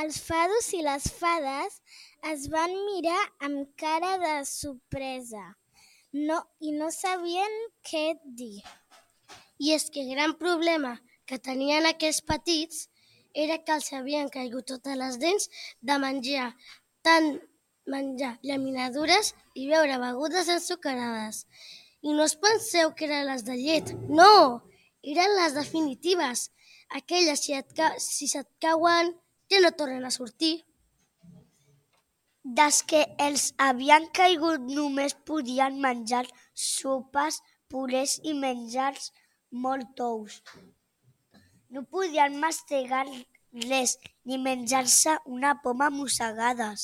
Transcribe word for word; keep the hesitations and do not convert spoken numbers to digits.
Els fados i les fades es van mirar amb cara de sorpresa no, i no sabien què dir. I és que el gran problema que tenien aquests petits era que els havien caigut totes les dents de menjar tant menjar llaminadures i beure begudes ensucrades. I no us penseu que eren les de llet, no! Eren les definitives, aquelles si, et ca... si se't cauen ja no tornen a sortir. Des que els havien caigut només podien menjar sopes, purés i menjars molt tous. No podien mastegar res ni menjar-se una poma a mossegades.